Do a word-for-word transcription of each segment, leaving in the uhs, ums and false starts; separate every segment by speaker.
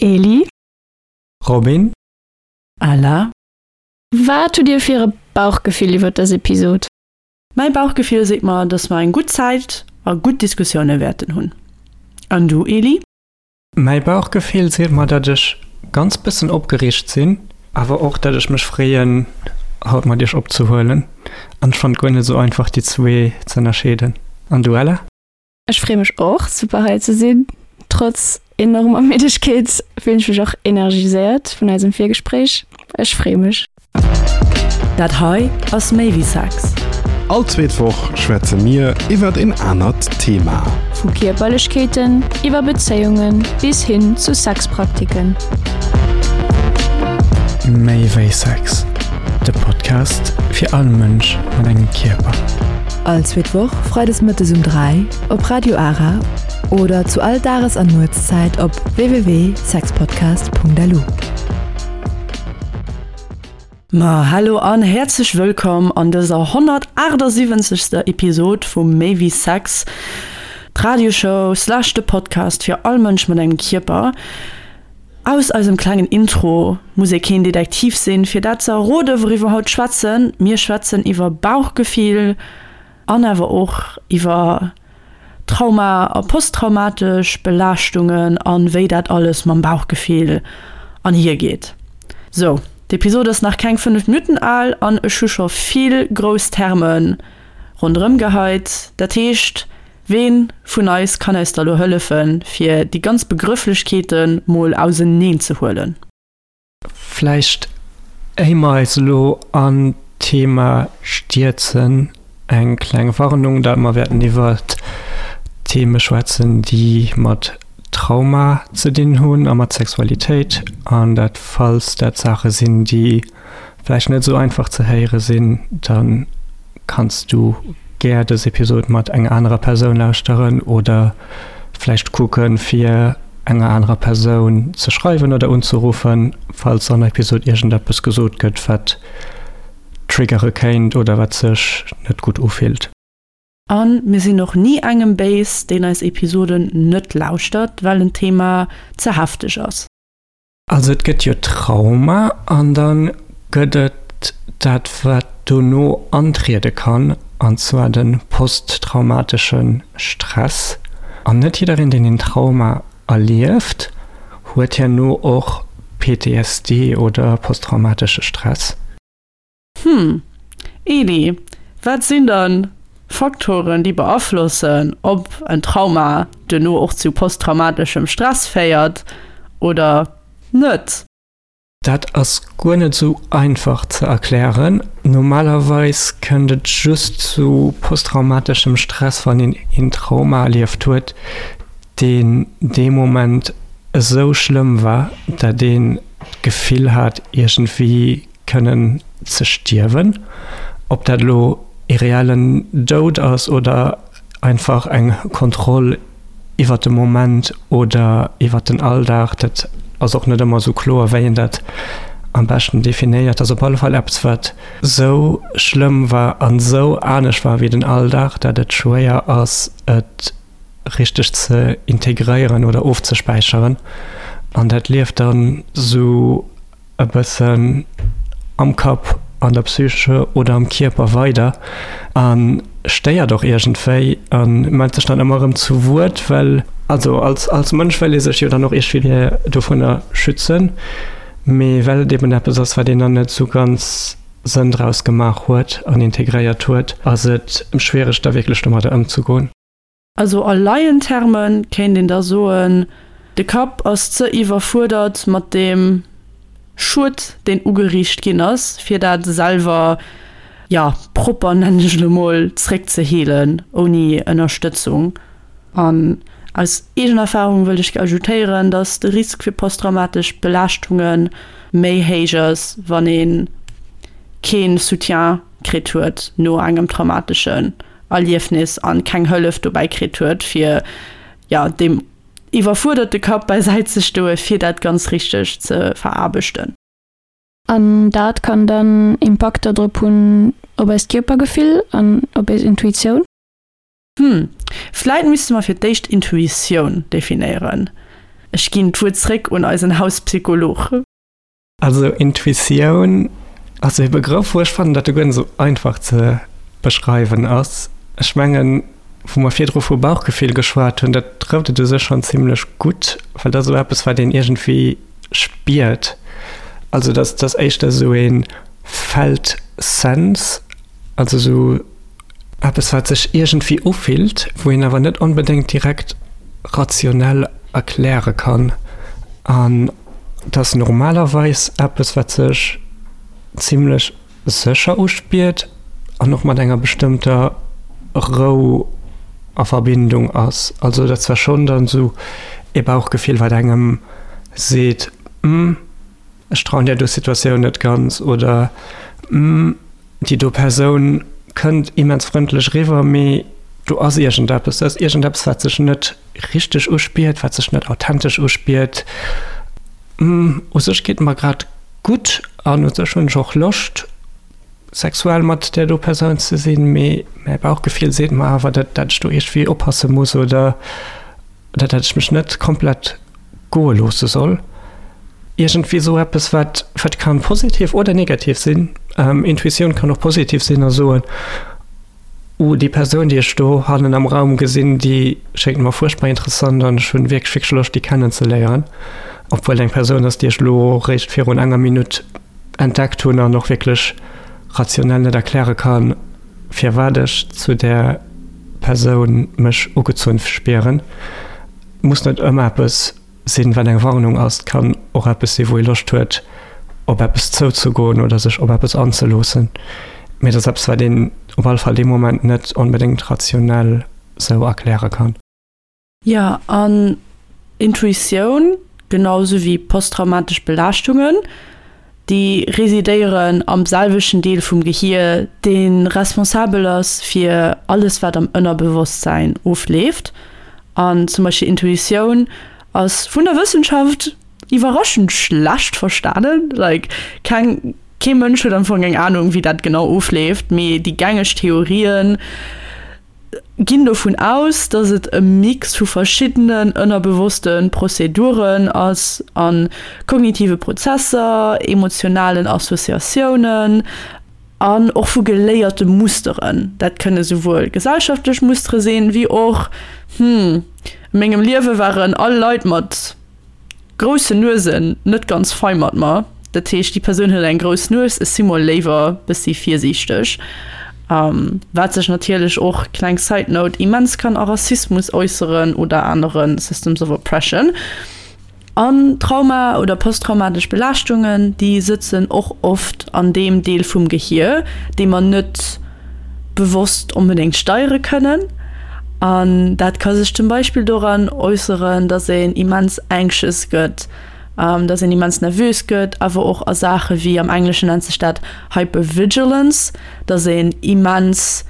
Speaker 1: Eli.
Speaker 2: Robin.
Speaker 3: Ella.
Speaker 1: Wat hutt dir fir e Bauchgefill iwwer dës Episod?
Speaker 3: Mäi Bauchgefill seet mer, dass mer eng gutt Zäit a gutt Diskussioune wäerten hunn. An du, Eli?
Speaker 2: Mäi Bauchgefill seet mer, dat ech ganz bëssen opgereegt sinn, awer och, dat ech mech freeën, haut mat iech opzehuelen. An ech fannen et guer net esou einfach, déi zwee ze ënnerscheeden. An du, Ella?
Speaker 1: Ech freeë mech och super hei ze sinn. Trotz enormer Middegkeet fillen ech mech och energiséiert vun eisem Virgespréich. Ech freeë mech.
Speaker 3: Dat hei ass Méi wéi Sex.
Speaker 4: All zweet Woch schwätze mir iwwert een anert Thema.
Speaker 1: Vu Kierperlechkeeten iwwer Bezéiunge bis hin zu Sexpraktiken.
Speaker 2: Méi wéi Sex, de Podcast fir all Mënsch mat engem Kierper.
Speaker 5: All zweet Woch freides mëttes um dräi op Radio Ara oder zu all Dages an Nuetszäit op www.sexpodcast.lu.
Speaker 3: Ma hallo an häerzlech wëllkomm an dëser honnertaachtsiwwenzegster Episod vu Méi wéi Sex, d'Radioshow slash de Podcast fir all Mënsch mat engem Kierper. Aus eisem klengen Intro muss ee keen Detektiv sinn, fir dat ze erroden, wouriwwer haut schwätzen. Mir schwätzen iwwer Bauchgefill an awer och iwwer Trauma a posttraumatesch Belaaschtungen an wéi dat alles mam Bauchgefill anhier geet. Sou, d'Episod ass nach keng fënnef Minutten al an ech hu scho vill grouss Terme ronderëm geheit. Dat heescht, Ween vun eis kann eis da lo hëllefen, fir déi ganz Begrëfflechkeete mol auseneen ze huelen?
Speaker 2: Vläicht éier mer eis elo an d'Thema stierzen, eng kleng Warnung, dat mer wäerten iwwert Theme schwätzen, déi mat Trauma ze dinn hunn a mat Sexualitéit, an dat falls dat Saache sinn, déi vläicht net esou einfach ze héiere sinn, da kanns du gär dës Episod mat enger anerer Persoun lauschteren oder vläicht kucken, fir enger anerer Persoun ze schreiwen oder unzeruffen, falls an der Episod iergendeppes gesot gëtt, wat triggere kéint oder wat sech net gutt ufillt.
Speaker 3: A mir sinn och ni engem béis, deen eis Episoden net lauschtert, well en Thema ze hefteg ass.
Speaker 2: Also et gëtt jo Trauma an da gëtt et dat wat dono antriede kann, an zwar de posttraumatesche Stress. An net jiddereen deen een Trauma erlieft, huet herno och P T S D oder posttraumatesche Stress.
Speaker 3: Hm, Eli, wat sinn dann Faktoren, déi beaflossen, ob en Trauma duerno och zu posttraumateschem Stress féiert oder net?
Speaker 2: Dat ass guer net esou einfach ze erklären. Normalerweis kënnt et just zu posttraumateschem Stress, wann een een Trauma erlieft huet, deen dee Moment esou schlëmm war, dat een d'Gefill hat, iergendwéi kënnen ze stierwen. Ob dat elo ee reellen Doud ass oder einfach eng Kontroll iwwer de Moment oder iwwer den Alldag, dat ass och net ëmmer esou kloer, wéi een dat am beschten definéiert. Ass op alle Fall eppes, wat esou schlëmm war an esou anescht war wéi den Alldag, dat et schwéier ass, et richteg ze integréieren oder ofzespäicheren. An dat lieft dann esou e bëssen am Kapp, an der Psyche oder am Kierper weider a stéiert och iergendwéi a mellt sech dann ëmmer erëm zu Wuert, well also als, als Mënsch wëll ee sech jo dann och iergendwéi dovunner schützen, mee well et eben eppes ass, wat een dann net esou ganz Sënn draus gemaach huet an integréiert huet, ass et schwiereg da wierklech domadder ëmzegoen.
Speaker 3: Also a Laienterme kéint een da soen, de Kapp ass ze iwwerfuerdert mat deem Schued, deen ugeriicht ginn ass, fir dat selwer, jo, propper, nennen ech elo mol, zréckzeheelen, ouni Ënnerstëtzung. An aus eegener Erfahrung wëll ech ajoutéieren, dass de Risk fir posttraumatesch Belaaschtunge méi héich ass, wann ee kee Soutien kritt huet no engem traumateschen Erliefnis an keng Hëllef dobäi kritt huet, fir, jo, deem iwwerfuerderte Kapp bäisäit ze stoen, fir dat ganz richteg ze veraarbechten.
Speaker 1: An dat kann dann Impakter drop hunn op eist Kierpergefill an op eis Intuitioun?
Speaker 3: Hm, vläit misste mer fir d'éischt Intuitioun definéieren. Ech ginn d'Wuert zréck un eisen Hauspsycholog.
Speaker 2: Also Intuitioun ass e Begrëff, wou ech fannen, datt e guer net esou einfach ze beschreiwen ass. Ech mengen, wou mer virdru vu Bauchgefill geschwat hunn, dat trëfft et u sech schonn zimlech gutt, well dat ass esou eppes, wat een iergendwéi spiert. Also dat ass éischter esou ee felt sense, also esou eppes, wat sech iergendwéi ufillt, wou een awer net onbedéngt direkt rationell erkläre kann. An Et ass normalerweis eppes, wat sech zimlech sécher uspiert an och mat enger bestëmmter Rou a Verbindung ass. Also dat zwar schonn dann esou ee Bauchgefill, wat engem seet, Hm, ech trauen där do Situatioun net ganz oder Hm, déi do Persoun kënnt immens frëndlech eriwwer, mee do ass iergendeppes, do ass iergendeppes, wat sech net richteg uspiert, wat sech net authentesch uspiert. U sech geet et mer grad gutt an u sech hunn ech och Loscht, sexuell mat där do Persoun ze sinn, mee mäi Bauchgefill seet mer awer, dat dat ech do iergendwéi oppasse muss oder dat dat ech mech net komplett goe loosse soll. Iergendwéi esou eppes, wat wat kann positiv oder negativ sinn. Intuitioun kann och positiv sinn a soen, Oh, déi Persoun, déi ech do hannen am Raum gesinn, déi schéngt mer fuerchtbar interessant an ech hunn wierklech, wierklech Loscht, déi kennenzeléieren. Obwuel et eng Persoun ass, déi ech elo réischt virun enger Minutt entdeckt hunn an och wierklech rationell net erkläre kann, firwat ech zu där Persoun mech ugezunn spieren. Muss net ëmmer eppes sinn, wat eng Warnung ass. Et kann och eppes sinn, wou ee Loscht huet, op eppes zouzegoen oder sech op eppes anzeloossen. Mee et ass eppes, wat een op alle Fall dee Moment net onbedéngt rationell sou erkläre kann.
Speaker 3: Jo, an Intuitioun, genau sou wéi posttraumatesch Belaaschtungen, déi residéieren am selwechten Deel vum Gehier, dee responsabel ass fir alles, wat am Ënnerbewosstsäin ofleeft. An zum Beispill Intuitioun ass vun der Wëssenschaft iwwerraschend schlecht verstanen. Like, keng, kee Mënsch huet am Fong eng Anung, wéi dat genau ofleeft, mee déi gängeg Theorien ginn dovun aus, dass et e Mix vu verschiddenen ënnerbewosste Prozeduren ass a kognitive Prozesser, emotionalen Associatiounen an och vu geléierte Musteren. Dat kënne souwuel gesellschaftlech Mustere sinn, wéi och, hm, a mengem Liewe waren all Leit mat groussen Nuesen net ganz fei mat mer. Dat heescht, déi Persoun huet eng grouss Nues, ech si mol léiwer bëssi virsiichteg. Wat sech natierlech och, kleng Side Note, immens kann a Rassismus äusseren oder anere Systems of Oppression. An Trauma oder posttraumatesch Belaaschtungen, déi sëtzen och oft an deem Deel vum Gehier, dee mer net bewosst onbedéngt steiere kënnen. An dat ka sech zum Beispill doran äusseren, dass een immens anxious gëtt, dass een immens nervös gëtt, awer och a Saache wéi, am Engleschen nennt sech dat Hypervigilance, dass een immens,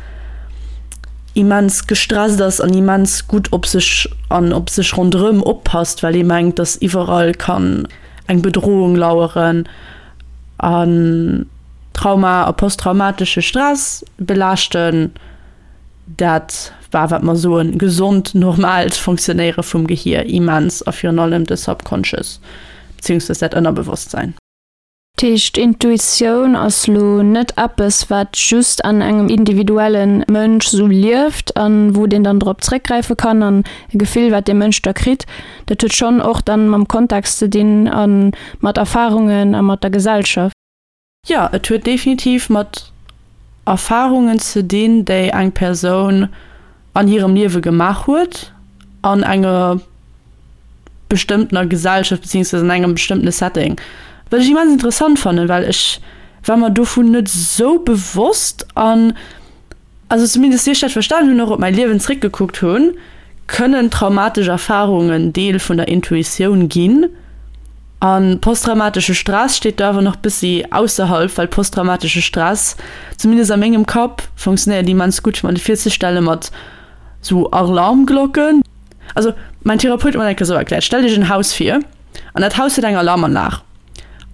Speaker 3: immens gestresst ass an immens gutt op sech an op sech ronderëm oppasst, well ee mengt, dass iwwerall kann eng Bedrohung laueren. An Trauma a posttraumatesche Stress belaaschten dat war, wat mer soen, gesond, normaalt Fonctionnéiere vum Gehier immens a virun allem de Subconscious, beziehungsweise dat Ënnerbewosstsäin.
Speaker 1: Dat heescht, Intuitioun ass lo net eppes, wat just an engem individuelle Mënsch sou lieft a wou deen dann drop zréckgräife kann an e Gefill, wat dee Mënsch da kritt. Dat huet schonn och dann mam Kontext ze dinn a mat Erfarungen a mat der Gesellschaft.
Speaker 3: Jo, et huet definitiv mat Erfarungen ze dinn, déi eng Persoun an hirem Liewe gemaach huet, an enger bestëmmtener Gesellschaft beziehungsweise an engem bestëmmtene Setting. Wat ech immens interessant fannen, well ech war mer dovun net esou bewosst an, also zumindest wéi ech dat verstanen hunn, och op mäi Liewen zréckgekuckt hunn, kënnen traumatesch Erfarungen Deel vun der Intuitioun ginn. A posttraumatesche Stress steet do awer nach bëssi ausserhalb, well posttraumatesche Stress, zumindest a mengem Kapp, funktionéiert immens gutt, fir mer dat virzestelle mat sou Alarmglocken. Also mäin Therapeut huet mer dat eng Kéier sou erkläert, Stellt Iech en Haus vir, an dat Haus huet eng Alarmanlag.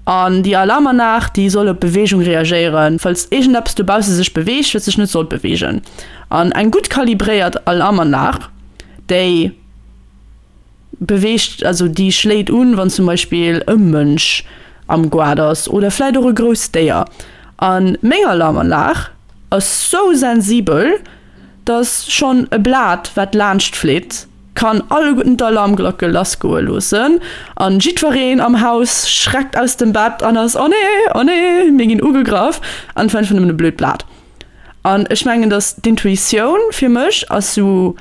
Speaker 3: An déi Alarmanlag, déi soll op Beweegung reagéieren, falls iergendeppes dobausse sech beweegt, wat sech net sollt beweegen. An eng gutt kalibréiert Alarmanlag, déi beweegt, also déi schléit un, wann zum Beispill e Mënsch am Goart ass oder vläit och e grousst Déier. A meng Alarmanlag ass sou sensibel, dass schonn e Blat, wat laanscht flitt, kann alleguerten d'Alarmglocke lassgoe loossen an jiddwereen am Haus schreckt aus dem Bett an ass, Oh nee, oh nee, mir ginn ugegraff, an et war einfach nëmmen e blöd Blat. An ech mengen, dass d'Intuitioun fir mech ass sou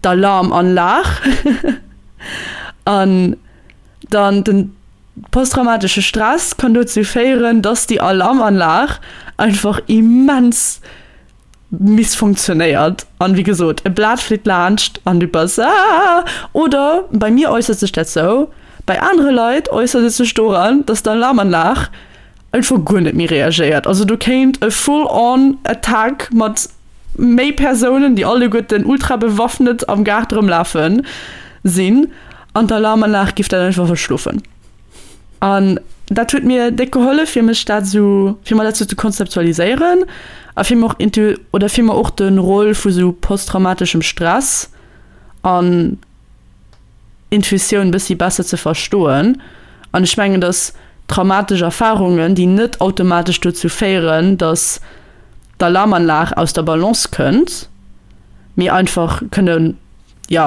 Speaker 3: d'Alarmanlag an dann den posttraumatesche Stress kann dozou féieren, dass déi Alarmanlag einfach immens missfunktionéiert an wéi gesot e Blat flitt laanscht an du bass aah oder bei mir äussert sech dat sou, bei anere Leit äussert et sech doran, dass d'Alarmanlag einfach guer net méi reagéiert. Also do kéint e full on Attack mat méi Persounen, déi alleguerten ultra bewaffnet am Gaart erëmlafen, sinn an d'Alarmanlag giff dat einfach verschlofen. An dat huet mir déck gehollef fir mech dat sou, fir mer dat sou ze konzeptualiséieren a fir mer och intu oder fir mer och de Rôle vu sou posttraumateschem Stress an Intuitioun bëssi besser ze verstoen. An ech mengen, datt traumatesch Erfarungen, déi net automatesch dozou féieren, datt d'Alarmanlag aus der Balance kënnt, mee einfach kënne, jo,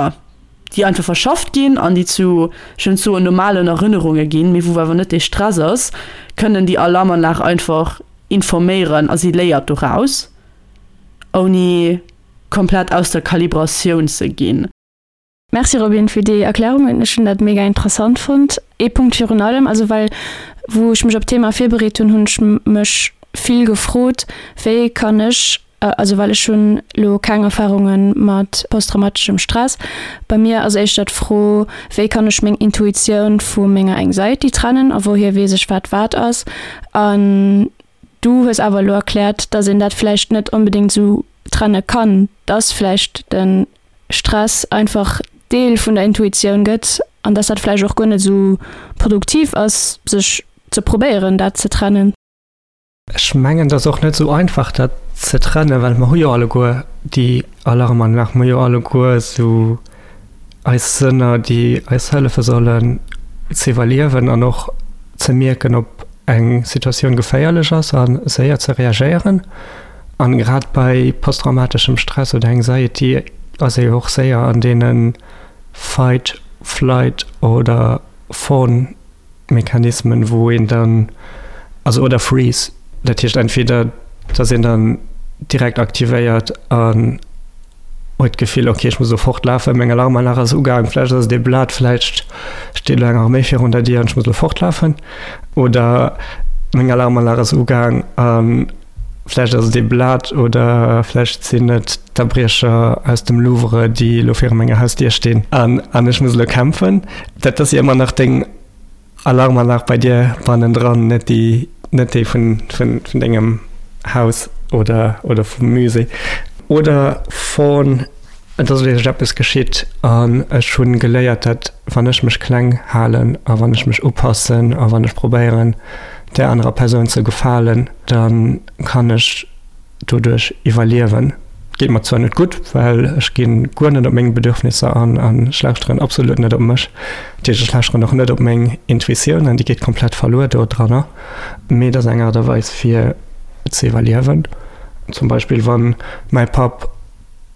Speaker 3: déi einfach verschafft ginn an déi zu, ech wëll net soen normalen Erënnerunge ginn, mee wou awer net dee Stress ass, kënnen déi Alarmanlag einfach informéieren a si léiert doraus, ouni komplett aus der Kalibratioun ze ginn.
Speaker 1: Merci Robin fir déi Erklärungen, ech hunn dat mega interessant fonnt. Ee Punkt virun allem, also well wou ech mech op d'Thema virbereet hunn, hunn ech mech vill gefrot, wéi kann ech, also well ech hunn elo keng Erfarunge mat posttraumateschem Stress, bei mir ass éischter d'Fro, wéi kann ech meng Intuitioun vu menger Anxiety trennen a wouhier weess ech wat wat ass? An du hues awer elo erkläert, datt een dat vläicht net onbedéngt esou trenne kann, datt vläicht de Stress einfach Deel vun der Intuitioun gëtt an dass dat vläicht och guer net esou produktiv ass, sech ze probéieren, dat ze trennen.
Speaker 2: Ech mengen, et ass och net esou einfach, dat ze trennen, well mer hu jo alleguer déi Alarmanlag, mer hu jo alleguer esou eis Sënner, déi eis hëllefe sollen ze iwwerliewen an och ze mierken, ob eng Situatioun geféierlech ass a séier ze reagéieren. An grad bei posttraumateschem Stress oder Anxiety ass ee jo och séier an deene Fight, Flight oder Fawn Mechanismen, wou een dann, also oder Freeze, dat heescht entweder dass een dann direkt aktivéiert an huet d'Gefill, ok ech muss elo fortlafen, meng Alarmanlag ass ugaang, vläicht ass et ee Blat, vläicht steet elo eng Arméi virun der Dier an ech muss elo fortlafen, oder meng Alarmanlag ass ugaang a vläicht ass et ee Blat oder vläicht sinn et d'Abriecher aus dem Louvre, déi elo viru menger Hausdier stinn an ech muss elo kämpfen. Dat ass jo ëmmer nach deng Alarmanlag bei dir bannendran, net déi net déi vun vun vun dengem Haus oder oder vum Musée oder von et ass wierklech eppes geschitt an ech hunn geléiert, dat wann ech mech kleng halen a wann ech mech upassen a wann ech probéieren där anerer Persoun ze gefalen, da kann ech doduerch iwwerliewen. Geet mer zwar net gutt, well ech gi guer net op meng Bedürfnisser an an ech lauschteren absolut net op mech. Dat heescht, ech lauschteren och net op meng Intuitioun an déi geet komplett verluer do dranner. Mee et ass eng Aart a Weis fir ze iwwerliewen. Zum Beispill wann mäi Papp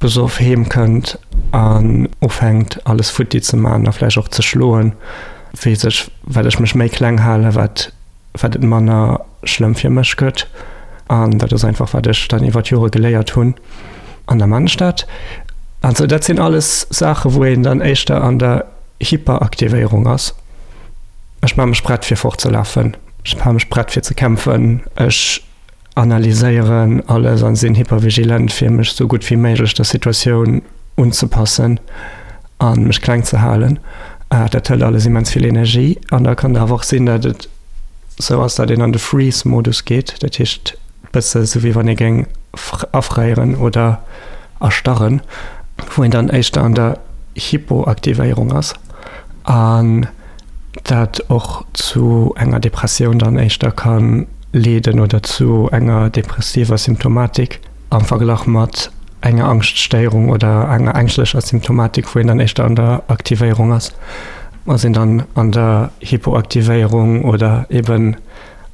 Speaker 2: besoff heem kënnt an ufänkt alles futti ze man a vläicht och ze schloen, weess ech, well ech mech méi kleng halen, wat wat et manner schlëmm fir mech gëtt. An dat ass einfach wat ech dann iwwer d'Jore geléiert hunn. An der Mannstadt. Also dat sinn alles Saache wou een dann éischter an der Hyperaktivéierung ass. Ech maache mech prett fir fortzelafen, ech maache mech prett fir ze kämpfen, ech analyséieren alles an sinn hypervigilent fir mech sou gutt wéi méiglech der Situatioun unzepassen a mech kleng ze halen. Dat hëlt alles immens vill Energie an da kann et awer och sinn, datt et sou ass, datt een an de Freeze-Modus geet, dat heescht bësse sou wéi wann ee géing afréieren oder erstarren, wou een dann éischter an der Hypoaktivéierung ass an dat och zu enger Depressioun dann éischter ka leeden oder zu enger depressiver Symptomatik am Verglach mat enger Angschtstéierung oder enger ängschtlecher Symptomatik, wou een dann éischter an der Aktivéierung ass, ass een dann an der Hypoaktivéierung oder eben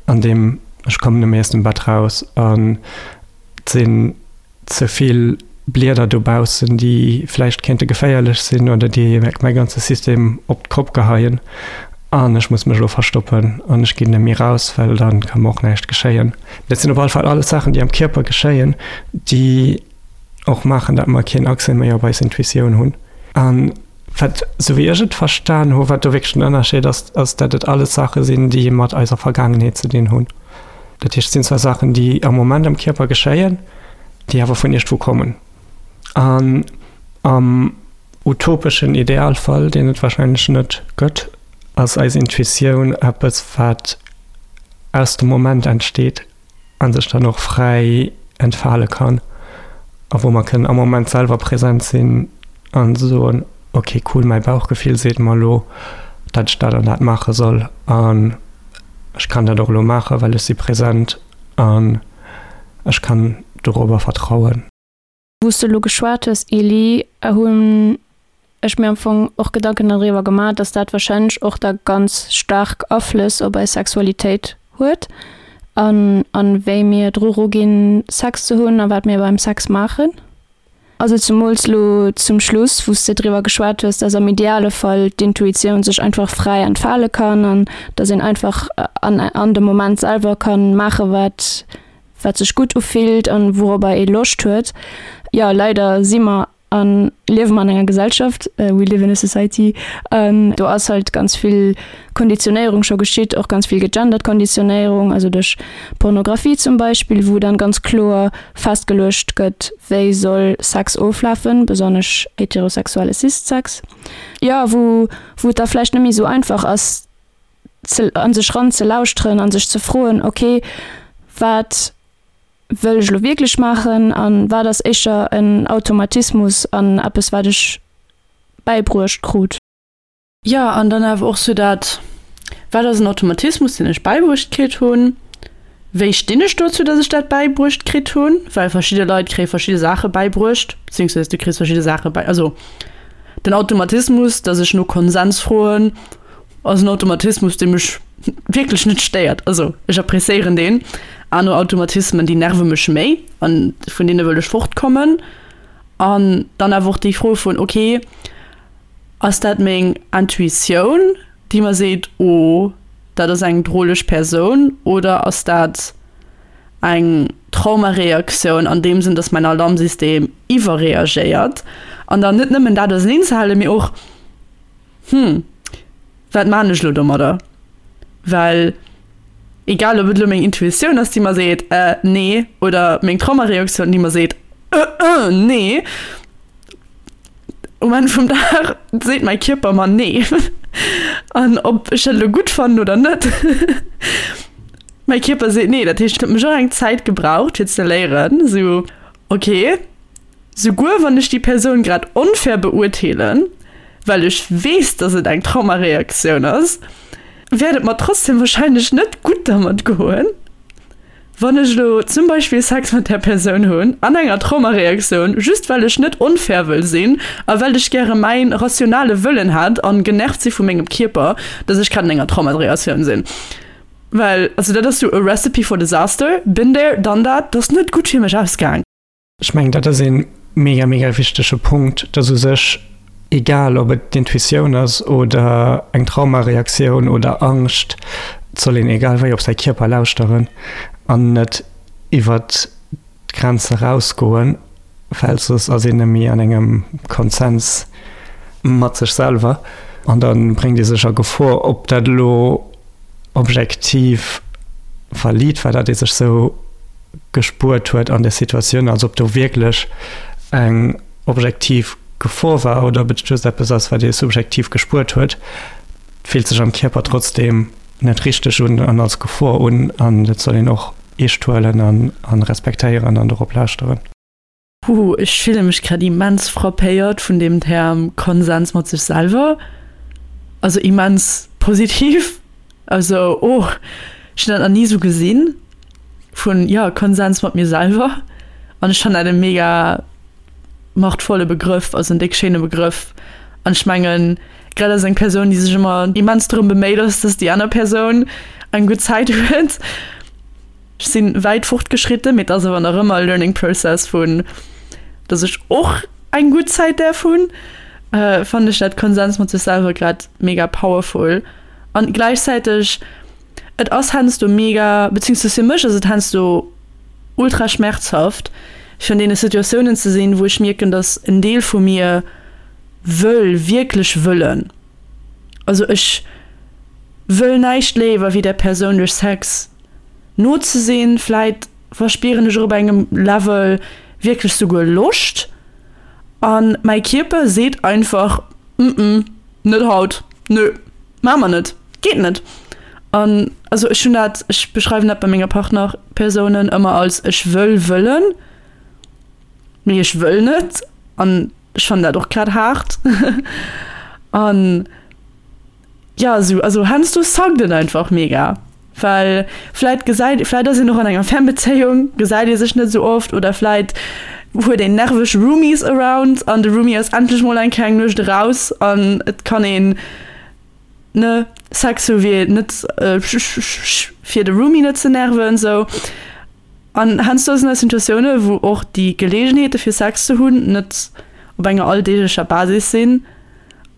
Speaker 2: an deem ech kommen net méi aus dem Bett raus an et sinn ze vill Blieder dobaussen, déi vläicht kéinte geféierlech sinn oder déi mäi ganze System op d'Kopp geheien an ech muss mech elo verstoppen an ech ginn net méi raus, well dann ka mer och näischt geschéien. Dat sinn op alle Fall alles Saachen, déi am Kierper geschéien, déi och maachen, datt mer keen Accès méi op eis Intuitioun hunn. An wat, sou wéi ech et verstan hu, wat do wierklech den Ënnerscheed ass, ass, datt et alles Saache sinn, déi mat eiser Vergaangenheet ze dinn hunn. Dat heescht, et sinn zwar Saachen, déi am Moment am Kierper geschéien, déi awer vun iergendwou kommen. An am utopeschen Idealfall, deen et warscheinlech net gëtt, ass eis Intuitioun eppes, wat aus dem Moment entsteet a sech dann och fräi entfale kann a wou mer kënnen am Moment selwer present sinn a soen, ok cool, mäi Bauchgefill seet mer elo, datt ech dat an dat maache soll an ech kann dat och elo maachen, well ech si present an ech kann dorobber vertrauen.
Speaker 1: Wou s de elo geschwat hues, Elie, hunn ech mir am Fong och Gedanken doriwwer gemaach, dass dat warscheinlech och da ganz staark Aflëss op eis Sexualitéit huet an an wéi mir dru ruginn, Sex ze hunn a wat mir beim Sex maachen. Also zemools lo zum Schluss, wou s de driwwer geschwat hues, dass am ideale Fall d'Intuitioun sech einfach fräi entfale kann an dass een einfach an an dem Moment selwer kann maache wat wat sech gutt ufillt an wourobber ee Loscht huet. Jo, leider si mer an liewe mer an enger Gesellschaft, we live in a society, an do ass halt ganz vill Konditionéierung scho geschitt, och ganz vill gegendert Konditionéierung, also duerch Pornografie zum Beispill, wou dann ganz kloer festgeluecht gëtt, wéi soll Sex oflafen, besonnesch heterosexuelle Cis-Sex, jo, wou wou et da vläicht net méi esou einfach ass ze an sech ran ze lauschteren an sech ze froen, okay, wat wëll ech elo wierklech maachen an wat ass éischter en Automatismus an eppes wat ech bäibruecht krut.
Speaker 3: Jo, an dann awer och sou dat, wat ass en Automatismus, deen ech bäibruecht kritt hunn? Wéi stinn ech dozou, datt ech dat bäibruecht kritt hunn? Well verschidde Leit kréie verschidde Saache bäibruecht, beziehungsweise du kriss verschidde Saache bäi, also den Automatismus, datt ech no Konsens froen, ass en Automatismus, dee mech wierklech net stéiert. Also ech appréciéieren deen. Aner Automatismen, déi nerve mech méi an vun deene wëll ech fortkommen. An dann awer och déi Fro vun, okay, ass dat meng Intuitioun, déi mer seet, oh, dat ass eng droleg Persoun, oder ass dat eng Traumareaktioun an deem Sënn, dass mäin Alarmsystem iwwerreagéiert? An dann net nëmmen dat auserneenzehalen, mee och, Hm, wat maan ech lo domadder? Well egal ob et lo meng Intuitioun ass, déi mer seet, äh, nee, oder meng Traumareaktioun, déi mer seet, äh, äh, nee, um Enn vum Dag seet mäi Kierper mer nee. An ob ech dat elo gutt fannen oder net, mäi Kierper seet nee. Dat heescht, et huet mech och eng Zäit gebraucht, fir ze léieren, esou, okay, Souguer wann ech déi Persoun grad onfair beurteelen, well ech weess, dass et eng Traumareaktioun ass, wäert et mer trotzdem wahrscheinlech net gutt dermat goen, wann ech elo zum Beispill Sex mat där Persoun hunn an enger Traumareaktioun, just well ech net onfair wëll sinn a well ech gäre mäin rationale Wëllen hätt an genervt si vu mengem Kierper, dass ech grad an enger Traumareaktioun sinn. Well, also dat ass sou a recipe for disaster, been there, done that, dat ass net gutt fir mech ausgaang.
Speaker 2: Ech mengen, dat ass ee mega, mega wichtege Punkt, dass u sech, egal ob et d'Intuitioun ass oder eng Traumareaktioun oder Angscht, et soll een egal wéi op säi Kierper lauschteren an net iwwert d'Grenze rausgoen, well soss ass een net méi an engem Konsens mat sech selwer an da bréngt ee sech a Gefor. Ob dat elo objektiv valid war, datt ee sech sou gespuert huet an der Situatioun, also ob do wierklech eng objektiv Gefor war oder ob et just eppes ass, wat ee subjektiv gespuert huet, fillt sech am Kierper trotzdeem net richteg un an als Gefor un an dat soll een och eescht huelen an respektéieren an dorop lauschteren.
Speaker 3: Huhu, ech fille mech grad immens frappéiert vun deem Term Konsens mat sech selwer. Also immens positiv. Also, oh, ech hunn dat nach ni esou gesinn, vun, jo, Konsens mat mir selwer. An ech fannen dat e mega machtvolle Begrëff, ass en déck schéine Begrëff. An ech mengen, grad als eng Persoun, déi sech ëmmer immens drëm beméit ass, dass déi aner Persoun eng gutt Zäit huet, ech si wäit fortgeschritten, mee et ass awer nach ëmmer e learning process vun, dass ech och eng gutt Zäit däerf hunn, fannen ech dat Konsens mat sech selwer grad mega powerful. An gläichzäiteg, et ass heiansdo mega, beziehungsweise fir mech ass et heiansdo ultra schmerzhaft, fir an deene Situatiounen ze sinn, wou ech mierken, dass en Deel vu mir wëll, wierklech wëllen, also ech wëll näischt léiwer wéi där Persoun duerch Sex no ze sinn, vläit verspieren ech och op engem Level wierklech souguer Loscht an mäi Kierper seet einfach, mm-mm, net haut, nö, maache mer net, geet net. An also ech hunn dat, ech beschreiwen dat bei menger Partnerpersounen ëmmer als ech wëll wëllen, mee ech wëll net an ech fannen dat och grad haart. An jo, esou, also heiansdo suckt et einfach mega, well vläit gesäit, vläit ass een och an enger Fernbezéiung, gesäit ee sech net esou oft oder vläit huet een nerveg Roomies around an de Roomie ass endlech mol eng Kéier eng Nuecht eraus an et kann een ne Sex hu wéi net fir de Roomie net ze nerven sou. An heiansdo sinn dat Situatioune wou och déi Geleegenheete fir Sex ze hunn net op enger alldeeglecher Basis sinn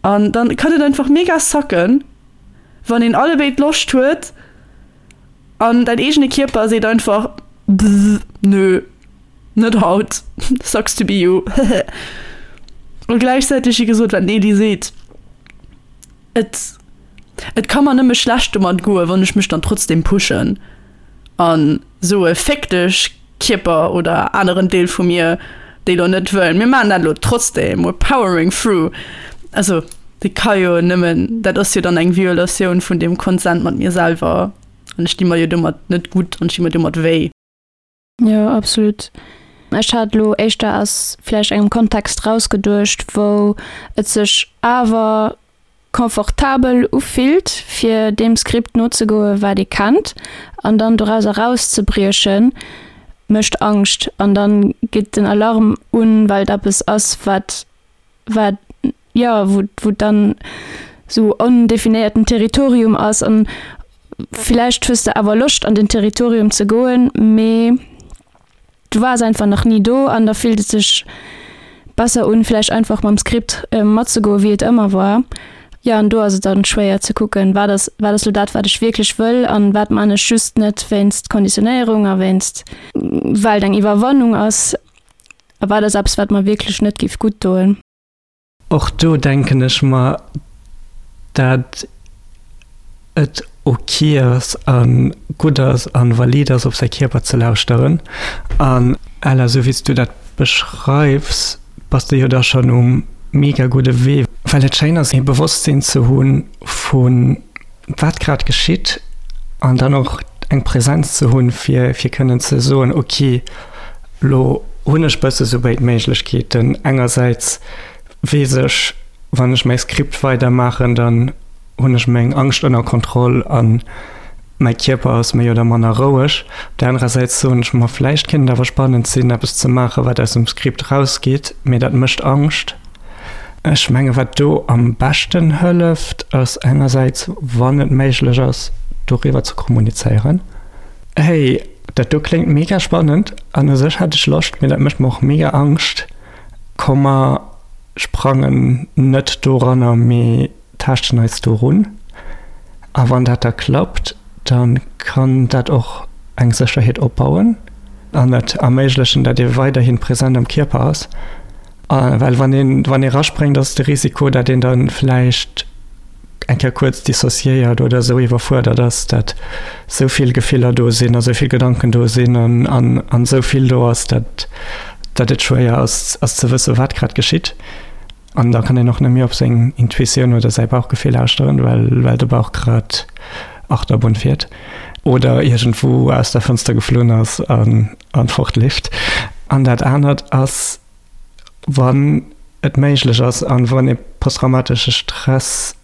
Speaker 3: an dann kann et einfach mega sucken wann een allebéid Loscht huet an däin eegene Kierper seet einfach nö net haut, sucks to be you hehe. A gläichzäiteg wéi gesot wat d'Nely seet. Et et ka mer nëmme schlecht domat goen, wann ech mech dann trotzdem pushen an soe féck dech Kierper oder aneren Deel vu mir, déi lo net wëllen, mir maachen dat lo trotzdem, we're powering through. Also dat ka jo nëmmen, dat ass jo dann eng Violatioun vun deem Consent mat mir selwer an ech di mer jo domat net gutt an ech di mer domat wéi.
Speaker 1: Jo, absolut. Ech hat elo éischter aus vläicht engem Kontext rausgeduecht, wou et sech awer confortabel ufillt, fir deem Skript nozegoen, wat ee kennt, an dann doraus erauszebriechen, mécht Angscht an dann geet den Alarm un, well et eppes ass, wat, wat, jo, wou, wou dann esou ondefinéierten Territorium ass an villäicht hues de awer Loscht an den Territorium ze goen, mee du waars einfach nach ni do an da fillt et sech besser un, vläicht einfach mam Skript matzegoen, wéi et ëmmer war. Jo, an do ass et dann schwéier ze kucken, wat ass, wat ass lo dat, wat ech wierklech wëll an wat man ech just net wéinst Konditionéierung a wéinst, well et eng Iwwerwannung ass a wat ass eppes, wat mer wierklech net géif gutt doen.
Speaker 2: Och do denken ech mer, dat et ok ass a gutt ass a valid ass, op säi Kierper ze lauschteren. An Ella, esou wéi s du dat beschreifs, bass de jo da schonn um mega gudde Wee, well et schéin ass, ee Bewosstsinn ze hu vu wat grad geschitt an dann och eng Präsenz ze hunn, fir fir kënnen ze soen, ok, lo hunn ech bësse sou béid Méiglechkeeten, engersäits weess ech, wann ech mäi Skript weidermaachen, dann hunn ech meng Angscht ënner Kontroll an mäi Kierper ass méi oder manner roueg. Op där anerer Säit soen ech mer, vläicht kéint et awer spannend sinn, eppes ze maachen, wat aus dem Skript rausgeet, mee dat mécht Angscht. Ech menge wat do am beschten hëlleft, ass engersäits, wann et méiglech ass, doriwwer ze kommunizéieren, Hey, dat do kléngt mega spannend an u sech hätt ech Loscht, mee dat mécht mer och mega Angscht. Komm mer sprangen net doranner, mee taaschten eis dorun. A wann dat da klappt, da kann dat och eng Sécherheet opbauen an et erméiglechen, datt ee weiderhi present am Kierper ass. Well wann een, wann ee raspréngt, ass de Risiko, datt een da vläicht eng Kéier kuerz dissociéiert oder esou iwwerfuerdert ass, datt esou vill Gefiller do sinn a esou vill Gedanken do sinn an, an, an esou vill do ass, datt, datt et schwéier ass, ass ze wëssen, wat grad geschitt. An da kann een och net méi op seng Intuitioun oder säi Bauchgefill lauschteren, well, well de Bauch grad Achterbunn fiert oder iergendwou aus der Fënster geflunn ass an, an fortleeft. An dat anert ass, wann et méiglech ass an wann ee posttraumatesche Stress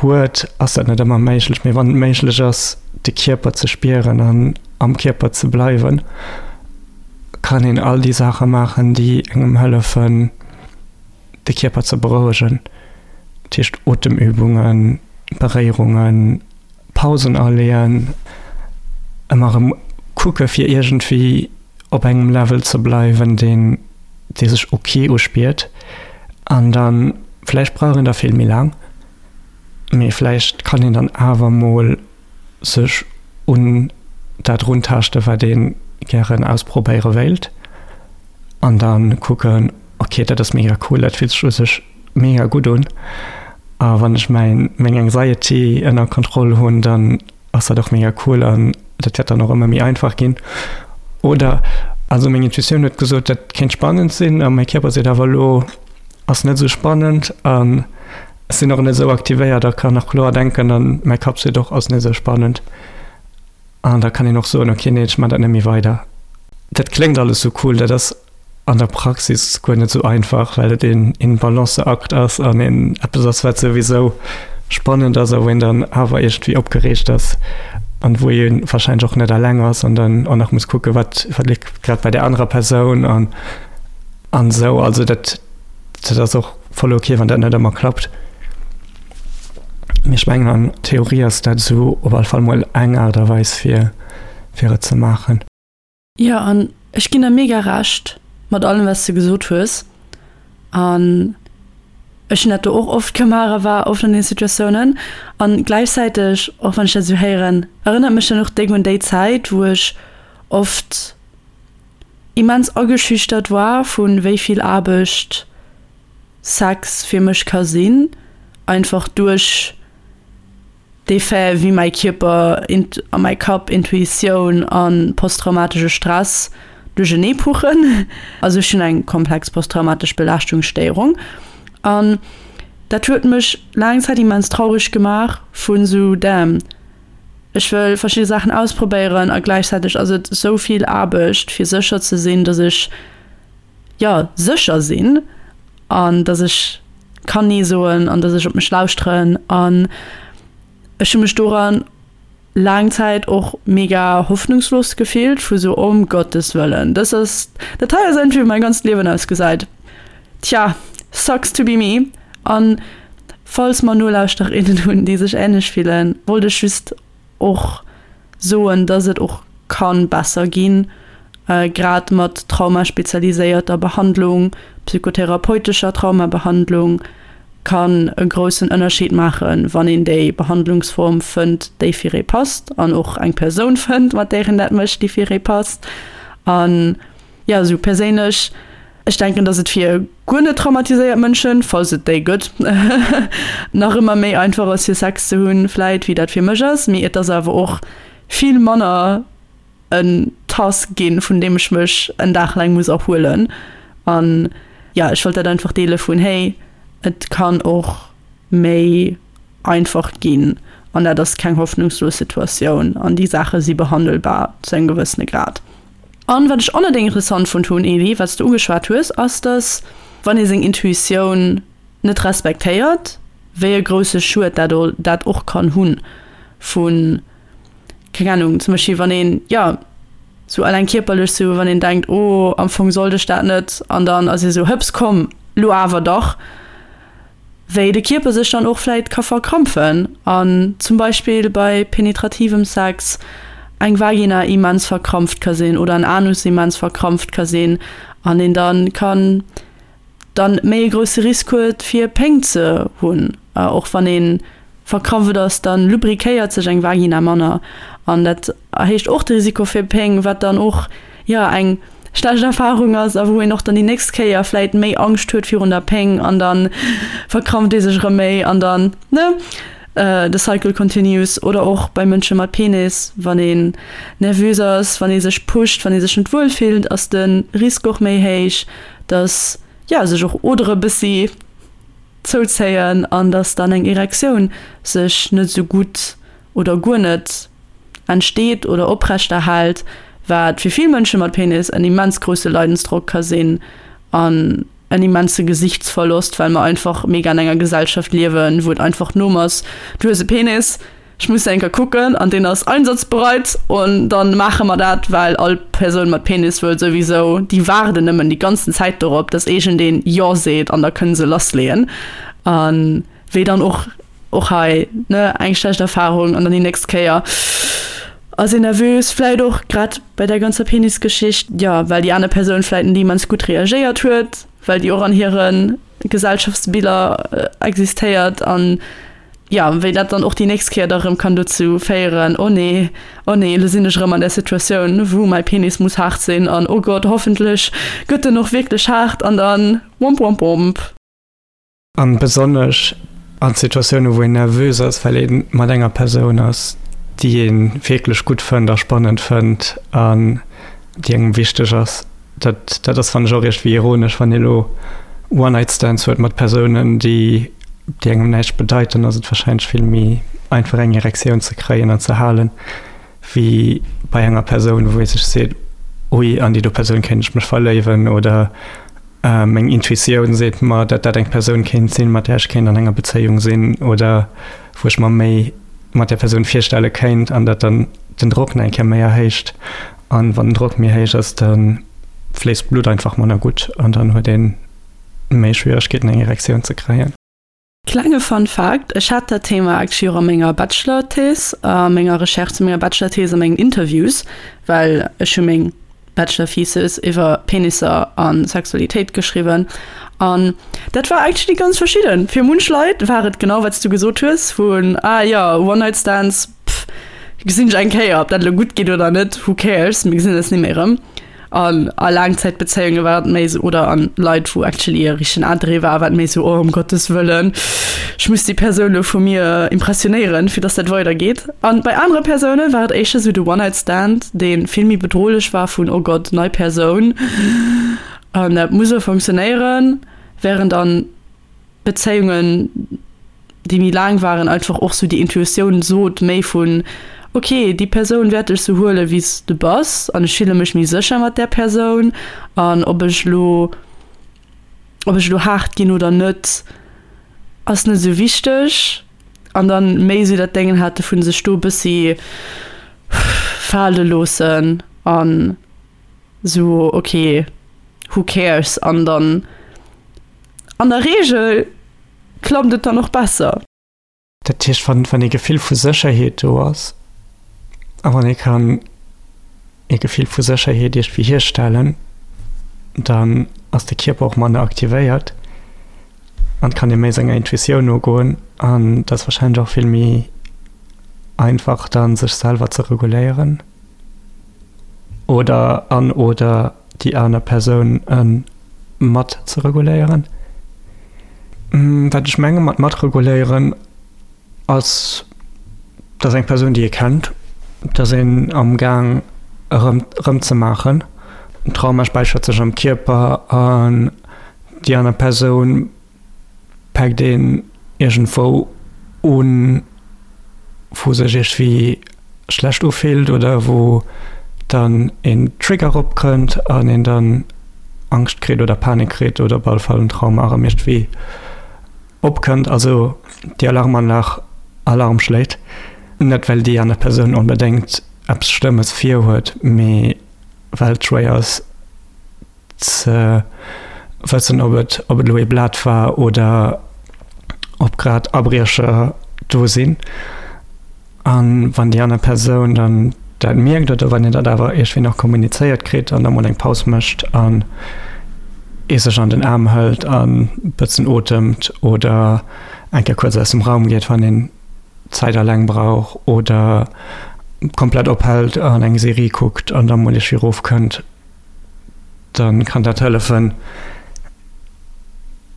Speaker 2: huet, ass dat net ëmmer méiglech, mee wann et méiglech ass, de Kierper ze spieren an am Kierper ze bleiwen, kann een all déi Saache maachen, déi engem hëllefen, de Kierper ze berouegen. Dat heescht Otemübungen, Beréierungen, Pausen aleeën, ëmmer erëm kucke fir iergendwéi op engem Level ze bleiwen, deen, dee sech ok uspiert. An dann, vläicht brauch een da vill méi laang, mee vläicht kann een dann awer mol sech un dat runtaaschte wat ee gären ausprobéiere wéilt an dann kucken, ok dat ass mega cool, dat fillt sech u sech mega gutt un a wann ech mäin meng Anxiety ënner Kontroll hunn, dann ass dat och mega cool an dat wäert dann och ëmmer méi einfach ginn. Oder also meng Intuitioun huet gesot, dat kéint spannend sinn a mäi Kierper seet awer elo ass net esou spannend an ech sinn och net esou aktivéiert a kann nach kloer denken an mäi Kapp seet och ass net esou spannend. An da kann een och soen, okay, nee, ech man dat net méi weider. Dat kléngt alles sou cool, dat ass an der Praxis guer net sou einfach, well et een een Balanceakt ass an een eppes ass, wat souwisou spannend ass a wou een dann awer iergendwéi opgereegt ass an wou ee warscheinlech och net eleng ass an dann och nach muss kucke wat wat leeft grad bei där anerer Persoun an an esou. Also dat dat ass och voll okay, wann dat net ëmmer klappt. Mee ech mengen an Theorie ass dat esou op alle Fall mol eng Aart a Weis fir fir et ze maachen.
Speaker 3: Jo, an ech ginn der mega Recht mat allem wat s de gesot hues. An ech hunn dat do och oft gemaach a war oft an deene Situatiounen. An gläichzäiteg, och wann ech dat esou héieren, erënnert mech dat och déck un déi Zäit, wou ech oft immens ageschüchtert war vu wéi vill Aarbecht Sex fir mech ka sinn, einfach duerch dee Fait, wéi mäi Kierper a mäi Kapp, Intuitioun a posttraumatesche Stress duerchenee puchen. Also ech hunn eng komplex posttraumatesch Belaaschtungsstéierung an dat huet mech laang Zäit immens traureg gemaach vun esou damn, ech wëll verschidde Saachen ausprobéieren a gläichzäiteg ass et esou vill Aarbecht fir sécher ze sinn, dass ech, jo, sécher sinn an dass ech kann Nee soen an dass ech op mech lauschteren. An ech hu mech doran laang Zäit och mega hoffnungslos gefillt, vu sou, ëm Gottes Wëllen, dës ass, dat hei ass einfach wéi mäi ganzt Liewen ausgesäit. Tja, sucks to be me. An falls mer Nolauschtererinnen hunn, déi sech änlech fillen, wollt ech just och soen, dass et och kann besser ginn, grad mat traumaspezialiséierter Behandlung, psychotherapeutescher Traumabehandlung, kann e groussen Ënnerscheed maachen, wann een déi Behandlungsform fënnt, déi fir ee passt an och eng Persoun fënnt, mat där een dat mécht, déi fir ee passt. An jo, esou perséinlech, ech denken, dass et fir guer net traumatiséiert Mënschen, falls et déi gëtt, nach ëmmer méi einfach ass, fir Sex ze hunn, vläit, wéi dat fir mech ass. Mee et ass awer och vill manner en Task ginn, vun deem ech mech en Dag laang muss erhuelen. An jo, ech wollt dat einfach deele vun, hey, et kann och méi einfach ginn an dat ass keng hoffnungslos Situatioun an déi Saache si behandelbar zu engem gewëssene Grad. An wat ech och net interessant fonnt hunn, Elie, wat s de ugeschwat hues, ass, dass wann ee seng Intuitioun net respektéiert, wéi e grousse Schued dat dat och kann hunn vun, keng Ahnung, zum Beispill wann een, jo, sou alleng kierperlech sou, wann een denkt, oh, am Fong sollt ech dat net, an dann ass ee sou, hëps, komm, lo awer dach, wéi de Kierper sech dann och vläit ka verkrampfen an zum Beispill bei penetrativem Sex eng Vagina immens verkrampft ka sinn oder en Anus immens verkrampft ka sinn an een dann kann dann méi e grousse Risk huet fir Péng ze hunn. Och wann ee verkrampft ass, dann lubrikéiert sech eng Vagina manner an dat erhéicht och de Risiko fir Péng, wat dann och jo eng schlecht Erfahrung ass a wou een och dann déi nächst Kéier vläit méi Angscht huet virun der Péng an dann verkrampft ee sech erëm méi an dann, ne, the cycle continues. Oder och bei Mënsche mat Penis, wann een nervös ass, wann ee sech pusht, wann ee sech net wuel fillt, ass de Risk och méi héich, dass, jo, sech och Odere bëssi zouzéien an dass dann eng Erektioun sech net esou gutt oder guer net entsteet oder oprechterhält, wat fir vill Mënsche mat Penis en immens grousse Leidensdrock ka sinn an en immense Gesichtsverlost, well mer einfach mega an enger Gesellschaft liewen, wou et einfach d'Norm ass, du hues e Penis, ech muss eng Kéier kucken an deen ass einsatzbereit und dann maache mer dat, well all Persoun mat Penis wëll souwisou, déi waarden nëmmen déi ganzen Zäit dorop, dass iergendeen Jo seet an da kënne se lassleeën. An wéi dann och och hei, ne, eng schlecht Erfahrung an dann déi nächst Kéier ass een nervös, vläit och grad bei der ganzer Penisgeschicht, jo, well déi aner Persoun vläit net immens gutt reagéiert huet, well déi och an hire Gesellschaftsbiller existéiert an jo, wéi dat dann och déi nächst Kéier da rëm kann dozou féieren, oh nee, oh nee, elo sinn ech erëm an där Situatioun, wou mäi Penis muss haart sinn an oh Gott, hoffentlech gëtt en och wierklech haart an dann womp womp womp.
Speaker 2: An besonnesch an Situatioune wou een nervös ass, well ee mat enger Persoun ass, déi ee wierklech gutt fënnt a spannend fënnt an déi engem wichteg ass. Dat, dat ass fannen ech och iergendwéi ironesch, wann ee lo One-Night-Stands huet mat Persounen, déi, déi engem näischt bedeiten, ass et warscheinlech vill méi einfach eng Erektioun ze kréien an ze halen, wéi bei enger Persoun, wou ee sech seet, ui, an déi do Persoun kéint ech mech verléiwen oder Meng Intuitioun seet mer, datt dat eng Persoun kéint sinn, mat där ech kéint an enger Bezéiung sinn oder wou ech mer méi mat där Persoun virstelle kéint an dat dann den Drock nach eng Kéier méi erhéicht. An wann den Drock méi héich ass, da fléisst d'Blutt einfach manner gutt an dann huet ee méi Schwieregkeeten eng Erektioun ze kréien.
Speaker 3: Klenge Fun Fact, Ech hat dat Thema actually och a menger Bachelor-Thèse, a menger Recherche zu menger Bachelor-Thèse a mengen Interviews, well ech hu meng Bachelor-Thesis iwwer Penisser a Sexualitéit geschriwwen an dat war actually ganz verschidden. Fir munch Leit war et genau wat s du gesot hues vun, ah jo, One-Night-Stands, pff, gesinn ech eng Kéier, ob dat elo gutt geet oder net, who cares, mir gesinn eis ni méi erëm. An a Laangzäitbezéiunge war et méi esou, oder an Leit, wou actually e richtegen Interêt war, war et méi esou, oh, ëm Gottes Wëllen, ech muss déi Persoun elo vu mir impressionéieren, fir dass dat weidergeet. An bei anere Persoune war et éischter esou de One-Night-Stand, dee vill méi bedrohlech war vun, oh Gott, nei Persoun an dat muss elo funktionéieren, während an Bezéiungen, déi méi laang waren, einfach och sou déi Intuitioun sot méi vun, ok, déi Persoun wäert dech sou huelen, wéi s de bass an ech fille mech méi sécher mat där Persoun an ob ech elo, ob ech elo haart ginn oder net, ass net sou wichteg. An dann méi sou dat Déngen hate vun sech do e bëssi fale loossen an sou, ok, who cares an dann an der Reegel klappt et dann och besser.
Speaker 2: Dat heescht, wann, wann ee Gefill vu Sécherheet do ass a wann ee kann ee Gefill vu Sécherheet iergendwéi hierstellen, dann ass de Kierper och manner aktivéiert an kann ee méi senger Intuitioun nogoen an dat ass warscheinlech och vill méi einfach dann, sech selwer ze reguléieren oder an oder déi aner Persoun mat ze reguléieren. Wat ech menge mat matreguléieren ass, dass eng Persoun déi ee kennt, dass een am Gaang erëm erëm ze maachen. Den Trauma späichert sech am Kierper an déi aner Persoun päckt een iergendwou un, wou sech iergendwéi schlecht ufillt oder wou dann een Trigger eropkënnt an een dann Angscht kritt oder Panik kritt oder op alle Fall en Trauma erëm iergendwéi opkënnt, also déi Alarmanlag Alarm schléit. Net well déi aner Persoun onbedéngt eppes Schlëmmes virhuet, mee well et schwéier ass ze wëssen, ob et ob et elo ee Blat war oder ob grad Abriecher do sinn. An wann déi aner Persoun dann dat mierkt oder wann een dat awer iergendwéi nach kommunizéiert kritt an da mol eng Paus mécht an ee sech an den Aarm hëlt a bëssen otemt oder eng Kéier kuerz aus dem Raum geet, wann een Zäit alleng brauch oder komplett ophält an eng Serie kuckt an da mol iergendwéi erofkënnt, da kann dat hëllefen,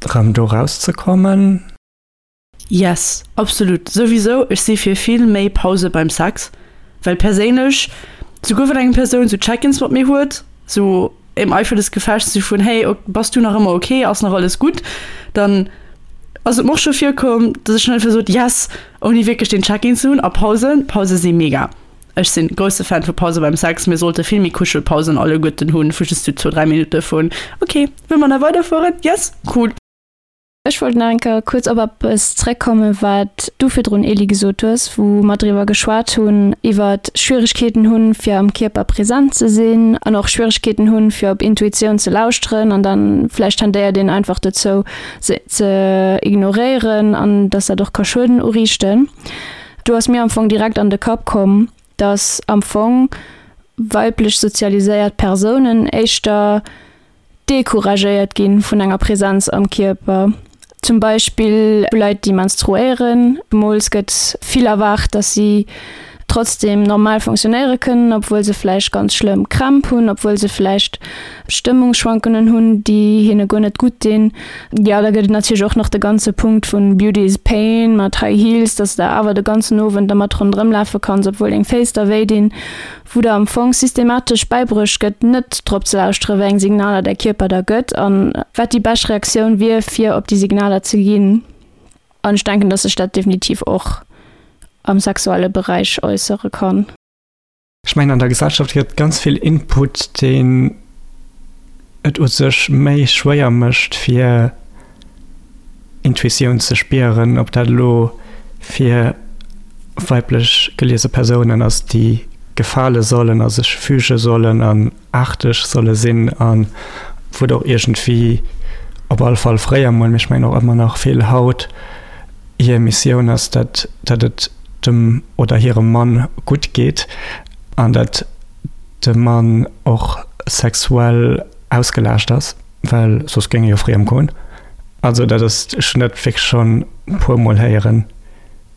Speaker 2: erëm do rauszekommen.
Speaker 3: Yes, absolut, souwisou, ech si fir vill méi Pause beim Sex, well perséinlech, souguer wann eng Persoun sou Check-ins mat mir huet, sou im Eifer des Gefechts, sou vun hey, bass du nach ëmmer ok, ass nach alles gutt, dann ass et mer och scho virkomm, dass ech dann einfach sot yes, ouni wierklech deen Check-in ze hunn. A Pausen, Pause si mega. Ech sinn grousse Fan vu Pause beim Sex. Mir sollte vill méi Kuschelpausen alleguerten hunn, vu just sou zwou, dräi Minutte vun ok, wëlle mer nach weiderfueren? Yes, cool.
Speaker 1: Ech wollt nach eng Kéier kuerz op eppes zréckkommen, wat du virdrun, Elie, gesot hues, wou mer driwwer geschwat hunn, iwwer Schwieregkeeten hunn, fir am Kierper present ze sinn an och Schwieregkeeten hunn, fir op Intuitioun ze lauschteren an dann vläicht tendéiert een einfach dozou, se ze ignoréieren an dass dat och ka Schueden uriichten. Do ass mir am Fong direkt an de Kapp komm, dass am Fong weiblech sozialiséiert Persounen éischter decouragéiert gi vun enger Präsenz am Kierper. Zum Beispill Leit, déi menstruéieren. Zemools gëtt vill erwaart, dass si trotzdem normal funktionéiere kënnen, obwuel se vläicht ganz schlëmm Krämp hunn, obwuel se vläicht Stëmmungsschwankungen hunn, déi hinne guer net gutt dinn. Jo, da gëtt et natierlech och nach de ganze Punkt vun Beauty is Pain mat High Heels, dass de awer de ganzen Owend dermat ronderëm lafe kanns, obwuel deng Féiss der wéi dinn. Wou der am Fong systematesch bäibruecht gëtt, net drop ze lauschtere wéi eng Signaler däi Kierper der gëtt an wat déi bescht Reaktioun wier, fir op déi Signaler ze ginn. An ech denken, dass sech dat definitiv och am sexuelle Beräich äussere kann.
Speaker 2: Ech mengen, an der Gesellschaft gëtt ganz vill Input, deen et u sech méi schwéier mécht, fir Intuitioun ze spieren, ob dat elo fir weiblech geliese Persounen ass, déi gefale sollen a sech füge sollen an aarteg solle sinn a wou et och iergendwéi, op alle Fall fréier mol, mee ech mengen och ëmmer nach vill haut, hir Missioun ass, datt datt et dem oder hirem Mann gutt geet an datt de Mann och sexuell ausgelaascht ass, well soss géing e jo friem goen. Also dat ass, ech hunn dat wierklech schonn e puermol héieren,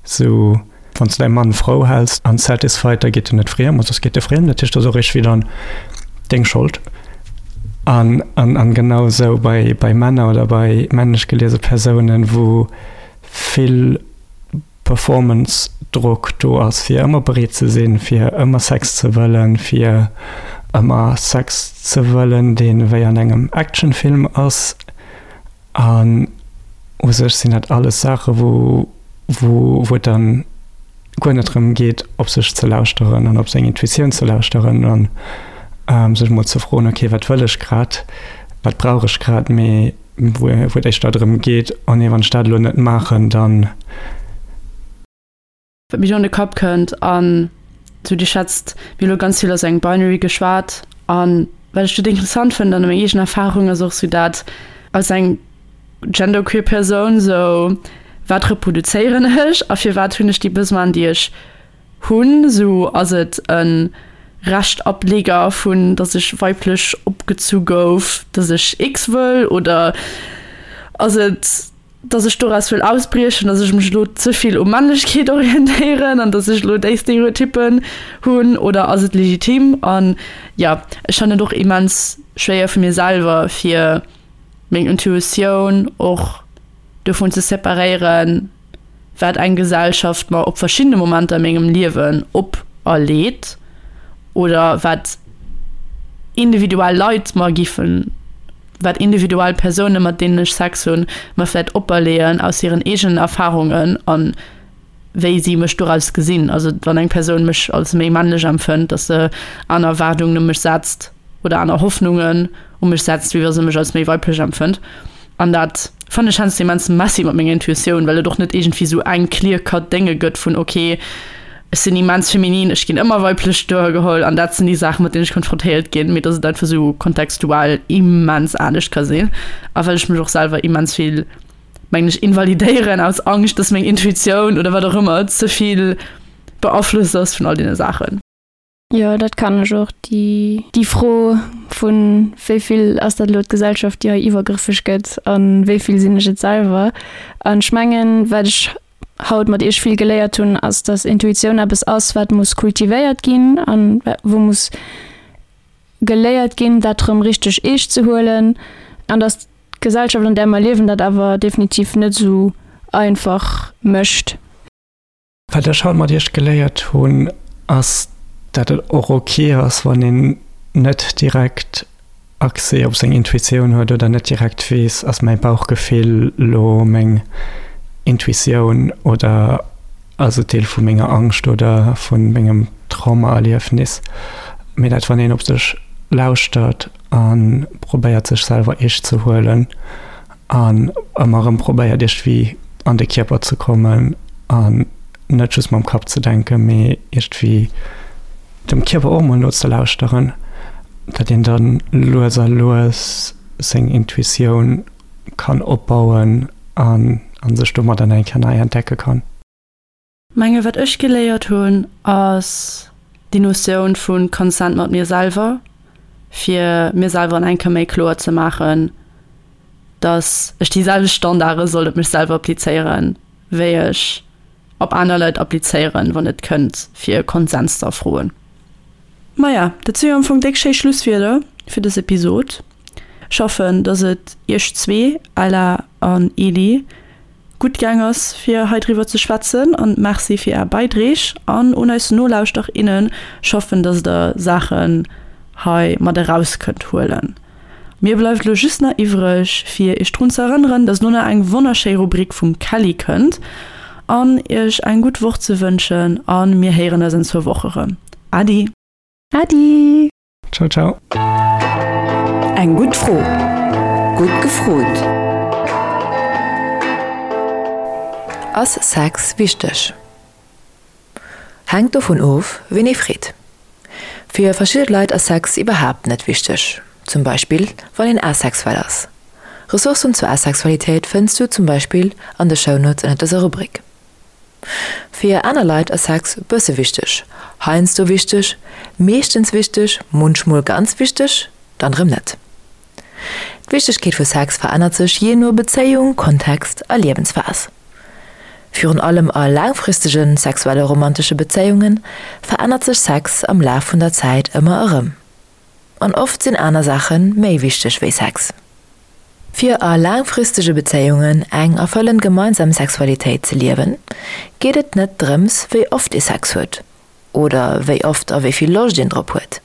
Speaker 2: sou wann s de däi Mann frou häls an satisfied, da geet en net friem a soss geet e friem. Dat heescht, dat ass och iergendwéi dann deng Schold. An an an genau esou bei bei Männer oder bei männlech geliese Persounen, wou vill Performance-Drock do ass, fir ëmmer bereet ze sinn, fir ëmmer Sex ze wëllen, fir ëmmer Sex ze wëllen, dee wéi an engem Actionfilm ass. An u sech sinn dat alles Saache wou wou wou et dann guer net drëm geet, op sech ze lauschteren an op seng Intuitioun ze lauschteren an sech mol ze froen, okay, wat wëll ech grad, wat brauch ech grad, mee wou et éischter drëm geet, oh nee, wann ech dat elo net maachen, dann.
Speaker 3: Wat mir do an de Kapp kënnt, an sou Dir schwätzt, mir hu lo ganz vill aus engem Binary geschwat, an wat ech do interessant fënnt an meng eegen Erfahrung ass och sou dat als eng genderqueer Persoun, sou wat reproduzéieren ech a firwat hunn ech déi Besoinen déi ech hunn, sou ass et e Reschtableger vun dass ech weiblech opgezu gouf, dass ech X wëll oder ass et dass ech doraus wëll ausbriechen, dass ech mech elo ze vill u Männlechkeet orientéieren an dass ech elo déi Stereotyppen hunn oder ass et legitim? An jo, ech fannen et och immens schwéier vu mir selwer fir meng Intuitioun och dovun ze separéieren, wat eng Gesellschaft mer op verschiddene Momenter a mengem Liewen operleet oder wat individuell Leit mer giffen, wat individuell Persounen, mat deenen ech Sex hunn, mer vläicht operleeën aus hiren eegenen Erfarungen a wéi si mech doraus gesinn. Also wann eng Persoun mech als méi männlech empfënnt, dass se aner Erwaardungen u mech setzt oder aner Hoffnungen u mech setzt, wéi wa se mech als méi weiblech empfënnt. An dat fannen ech heiansdo immens messy mat menger Intuitioun, well et och net iergendwéi sou eng clear cut Dénge gëtt vun ok, ech sinn immens feminin, ech ginn ëmmer weiblech duergeholl an dat sinn déi Saachen, mat deenen ech konfrontéiert ginn, mee dass et einfach sou kontextuell immens anescht ka sinn. A well ech mech och selwer immens vill, mengen ech, invalidéieren aus Angscht, dass meng Intuitioun oder wat och ëmmer ze vill beaflosst ass vun all deene Saachen.
Speaker 1: Jo, dat kann ech och. Déi, déi Fro vun wéi vill ass dat elo d'Gesellschaft, déi hei iwwergrëffeg gëtt a wéi vill sinn ech et selwer. An ech mengen, wat ech haut mat iech vill geléiert hunn, ass, dass Intuitioun eppes ass, wat muss kultivéiert ginn an wou muss geléiert ginn, dat erëm richteg eescht ze huelen an dass d'Gesellschaft, an där mer liewen, dat awer definitiv net esou einfach mécht.
Speaker 2: Wat ech haut mat iech geléiert hunn, ass, dat et och ok ass, wann een net direkt Accès op seng Intuitioun huet oder net direkt weess, ass mäi Bauchgefill lo meng Intuitioun oder ass et Deel vu menger Angscht oder vu mengem Traumaerliefnis. Mee dat wann een op sech lauschtert a probéiert sech selwer eescht ze huelen an ëmmer erëm probéiert iergendwéi an de Kierper ze kommen an net just mam Kapp ze denken, mee iergendwéi dem Kierper och mol nozelauschteren, datt een dann lues a lues seng Intuitioun kann opbauen an an sech domadder eng Kéier nei entdecke kann.
Speaker 3: Menge wat ech geléiert hunn ass déi Notioun vu Consent mat mir selwer, fir mir selwer an eng Kéier méi kloer ze maachen, dass ech déi selwecht Standarde soll op mech selwer applizéieren, wéi ech op aner Leit applizéieren, wann et kënnt fir Konsens ze erfroen. Maja, dat si jo am Fong déck schéi Schlusswierder fir dës Episod. Ech hoffen, dass et iech zwee, Ella an Eli, gutt gaang ass fir hei driwwer ze schwätzen an Merci fir är Beidreeg an un eis Nolauschterer, innen. Ech hoffen, dass der Saachen hei mat eraus kënnt huelen. Mir bleift elo just nach iwwreg fir iech drun ze erënneren, dass elo nach eng wonnerschéi Rubrik vum Kelly kënnt an iech eng gutt Woch ze wënschen a mir héieren eis an zwou Woche rëm. Adi!
Speaker 1: Adi!
Speaker 2: Ciao ciao!
Speaker 5: Eng gutt Fro, gutt gefrot! Ass Sex wichteg? Hänkt dovun of, ween ee freet. Fir verschidde Leit ass Sex iwwerhaapt net wichteg, zum Beispill wann een asexuell ass. Ressourcen zur Asexualitéit fënns du zum Beispill an de Shownotes ënnert dëser Rubrik. Fir aner Leit ass Sex bësse wichteg, heiansdo wichteg, meeschtens wichteg, munchmol ganz wichteg, dann erëm net. D'Wichtegkeet vu Sex verännert sech jee no Bezéiung, Kontext a Liewensphas. Virun allem a laangfristege sexuelle romantesche Bezéiunge verännert sech Sex am Laf vun der Zäit ëmmer erëm. An oft sinn aner Saache méi wichteg wéi Sex. Fir a laangfristege Bezéiungen eng erfëllend gemeinsam Sexualitéit ze liewen, geet et net drëms, wéi oft ee Sex huet oder wéi oft a wéi vill Loscht een drop huet.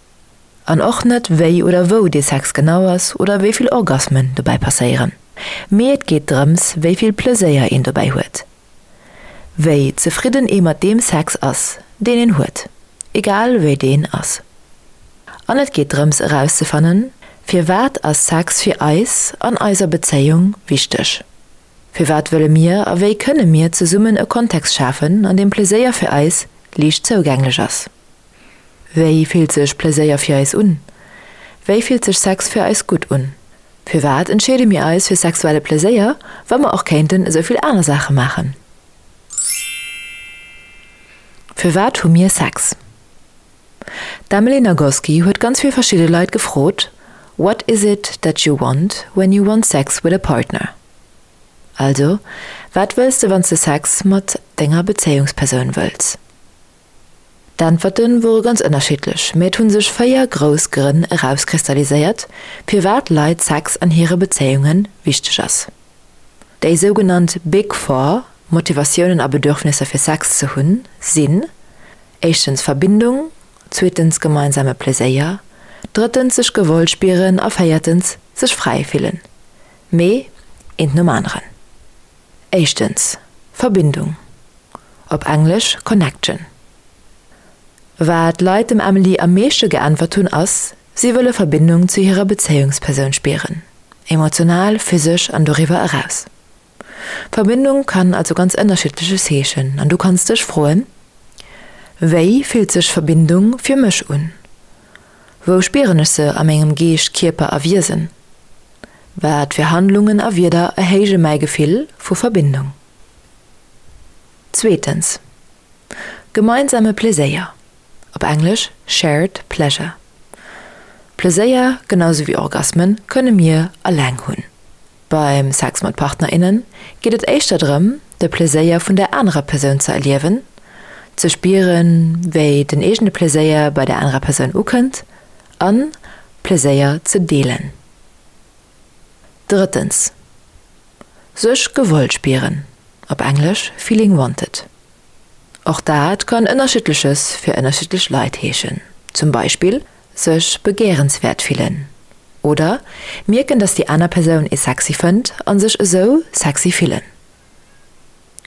Speaker 5: An och net, wéi oder wou dee Sex genau ass oder wéi vill Orgasmen dobäi passéieren. Mee et geet drëms, wéi vill Pleséier een dobäi huet. Wéi zefridden ee mat deem Sex ass, deen een huet, egal wéi deen ass. An et geet drëms erauszefannen, Firwat ass Sex fir eis an eiser Bezéiung wichteg? Firwat wëlle mir a wéi kënne mir zesummen e Kontext schafen, an deem Pleséier fir eis liicht zougänglech ass? Wéi fillt sech Pleséier fir eis un? Wéi fillt sech Sex fir eis gutt un? Firwat entscheede mir eis fir sexuelle Pleséier, wa mer och kéinten esou vill aner Saache maachen? Firwat hu mir Sex? D'Emily Nagoski huet ganz vill verschidde Leit gefrot, What is it that you want when you want sex with a partner? Also, wat wëlls de wann s de Sex mat denger Bezéiungspersoun wëlls? D'Äntwerte wore ganz ënnerschiddlech, mee et hu sech véier grouss Grënn erauskristalliséiert, firwat Leit Sex an hire Bezéiunge wichteg ass. Déi sougenannt Big Four Motivatiounen a Bedürfnisser fir Sex ze hunn, sinn, éischtens Verbindung, zweetens gemeinsame Pleséier, drëttens sech gewollt spieren a véiertens sech fräi fillen. Mee eent nom aneren. Éischtens, Verbindung, op Englesch Connection. Wat d'Leit dem Emily am meeschte geäntwert hunn ass, si wëlle Verbindung zu hirer Bezéiungspersoun spieren, emotional, physesch an doriwwer eraus. Verbindung kann also ganz ënnerschiddleches heeschen an du kanns dech froen, Wéi fillt sech Verbindung fir mech un? Wou spieren ech se a mengem Geescht, Kierper a Wiesen? Wat fir Handlungen a Wierder erhéije mäi Gefill vu Verbindung? Zweetens, gemeinsame Pleséier, op Englesch shared pleasure. Pleséier, genau sou wéi Orgasmen, kënne mir eleng hunn. Beim Sex mat Partner, innen geet et éischter drëm, de Pleséier vun der anerer Persoun ze erliewen, ze spieren, wéi den eegene Pleséier bei der anerer Persoun ukënnt an Pleséier ze deelen. Drëttens, sech gewollt spieren, op Englesch feeling wanted. Och dat kann Ënnerschiddleches fir ënnerschiddlech Leit heeschen, zum Beispill sech begéierenswäert fillen oder mierken, dass déi aner Persoun ee sexy fënnt a sech esou sexy fillen.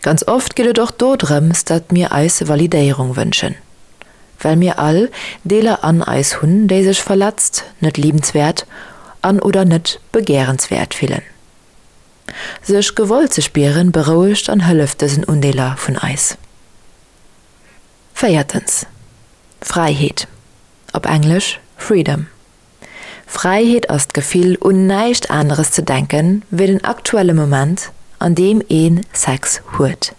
Speaker 5: Ganz oft geet et och do drëms, datt mir eis Validéierung wënschen, well mir all Deeler an eis hunn, déi sech verletzt, net liebenswäert an oder net begéierenswäert fillen. Sech gewollt ze spieren, berouegt an hëlleft dësen Undeeler vun eis. Véiertens, Fräiheet, op Englesch Freedom. Fräiheet ass d'Gefill, un näischt aneres ze denken, wéi den aktuelle Moment, an deem ee Sex huet.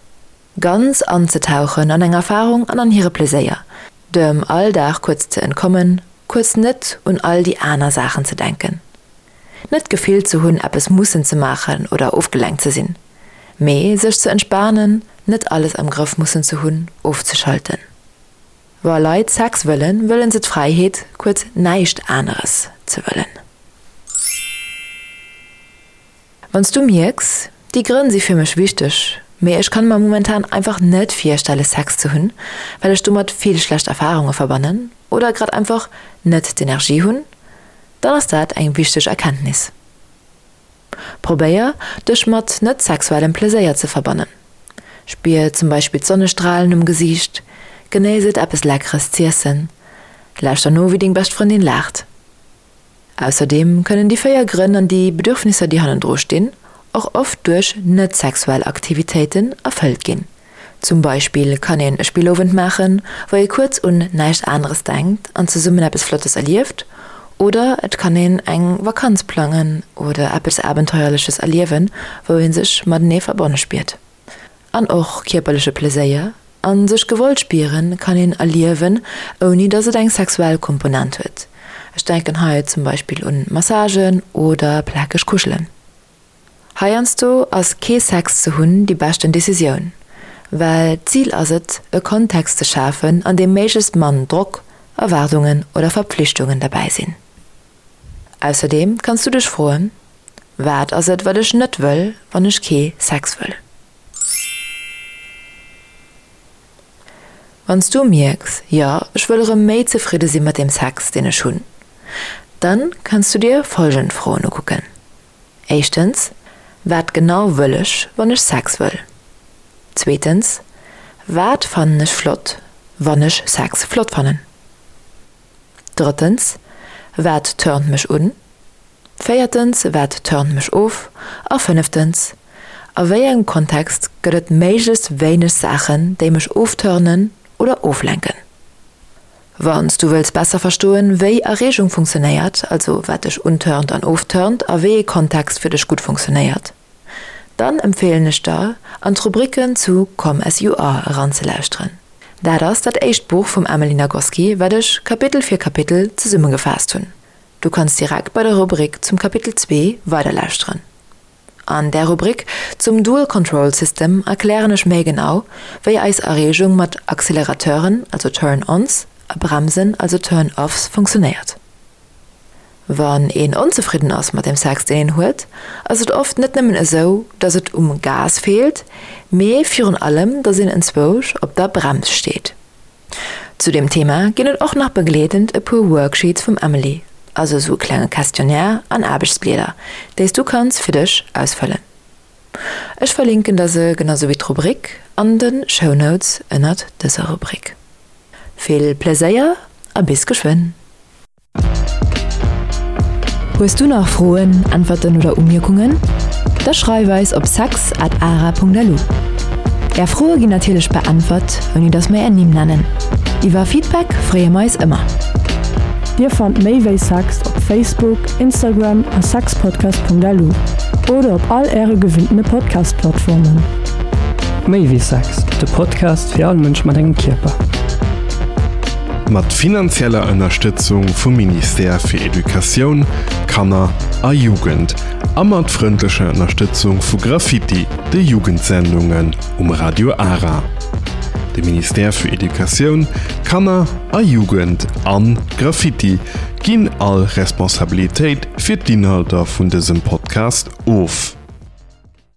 Speaker 5: Ganz anzetauchen an eng Erfarung an an hire Pleséier, dem Alldag kuerz ze entkommen, kuerz net un all déi aner Saachen ze denken. Net d'Gefill ze hunn, eppes mussen ze maachen oder ofgelenkt ze sinn, mee sech ze entspanen, net alles am Grëff mussen ze hunn, ofzeschalten. Wa Leit Sex wëllen, wëllen se d'Fräiheet, kuerz näischt aneres ze wëllen. Wann s du mierks, déi Grënn si fir mech wichteg, mee ech kann mer momentan einfach net virstelle Sex ze hunn, well ech domat vill schlecht Erfarunge verbannen oder grad einfach net d'Energie hunn, dann ass dat eng wichteg Erkenntnis. Probéier, dech mat net-sexuellem Pleséier ze verbannen. Spier zum Beispill d'Sonnestralen um Gesiicht, genéiss et eppes Leckeres z'iessen, lauschter no wéi deng bescht Frëndin laacht. Ausserdeem kënnen déi véier Grënn an déi Bedürfnisser déi hannendru stinn och oft duerch net-sexuell Aktivitéiten erfëllt ginn. Zum Beispill kann een e Spillowend maachen, wou ee kuerz un näischt aneres denkt an zesummen eppes Flottes erlieft, oder et kann een eng Vakanz plangen oder eppes Abenteuerleches erliewen, wou ee sech matenee verbonne spiert. An och kierperleche Pleséier a sech gewollt spieren kann een erliewen, ouni dass et eng sexuell Komponent huet. Ech denken hei zum Beispill un Massagen oder plakeg Kuschelen. Heiansdo ass kee Sex ze hunn déi beschten Decisioun, well d'Zil ass et, e Kontext ze schafen, an deem méiglechst mann Drock, Erwaardungen oder Verpflichtungen derbäi sinn. Ausserdeem kanns du dech froen, Wat ass et, wat ech net wëll, wann ech kee Sex wëll? Wann s du mierks, Jo, ech wëll erëm méi zefridde si mat deem Sex, deen ech hunn, dann kanns du dir folgend Froen ukucken, Éischtens, Wat genau wëll ech, wann ech Sex wëll? Zweetens, Wat fannen ech flott, wann ech Sex flott fannen? Drëttens, Wat turnt mech un? Véiertens, Wat turnt mech of? A fënneftens, A wéi engem Kontext gëtt et méiglechst wéineg Saachen, déi mech ofturnen oder oflenken? Wann s du wëlls besser verstoen, wéi Erreegung funktionéiert, also wat dech unturnt an ofturnt a wéi ee Kontext fir dech gutt funktionéiert, dann empfeelen ech der, an d'Rubriken zu Come As You Are eranzelauschteren. Dat ass dat éischt Buch vum Emily Nagoski, wat ech Kapitel fir Kapitel zesummegefaasst hunn. Du kanns direkt bei der Rubrik zum Kapitel zwee weiderlauschteren. An där Rubrik zum Dual Control System erklären ech méi genau, wéi eis Erreegung mat Accelerateuren, also Turn-ons, a Bremsen, also Turn-offs, funktionéiert. Wann een onzefridden ass mat dem Sex deen een huet, ass et oft net nëmmen esou, dass et um Gas feelt, mee virun allem, dass een enzwousch op der Brems steet. Zu deem Thema ginn et och nach begleedend e puer Worksheets vum Emily, also esou e klenge Questionnaire an Aarbechtsblieder, déi s du kanns fir dech ausfëllen. Ech verlinken der se, genau sou wéi d'Rubrik, an de Shownotes ënnert dëser Rubrik. Vill Pleséier a bis geschwënn! Hues du nach Froen, Äntwerten oder Umierkungen? Da schreif eis op sex at ara Punkt lu. Är Froe ginn natierlech beäntwert, ouni dass mer är Nimm nennen. Iwwer Feedback freeë mer eis ëmmer.
Speaker 3: Dir fannt méi wéi Sex op Facebook, Instagram a sexpodcast.lu oder op all äre gewinntene Podcast-Plattformen.
Speaker 2: Méi wéi Sex, de Podcast fir all Mënsch mat engem Kierper.
Speaker 4: Mat finanzieller Ënnerstëtzung vum Ministère fir Educatioun, Kanner a Jugend a mat frëndlecher Ënnerstëtzung vu Graffiti, de Jugendsendungen um Radio Ara. De Ministère fir Educatioun, Kanner a Jugend an Graffiti ginn all Responsabilitéit fir d'Inhalter vun dësem Podcast of.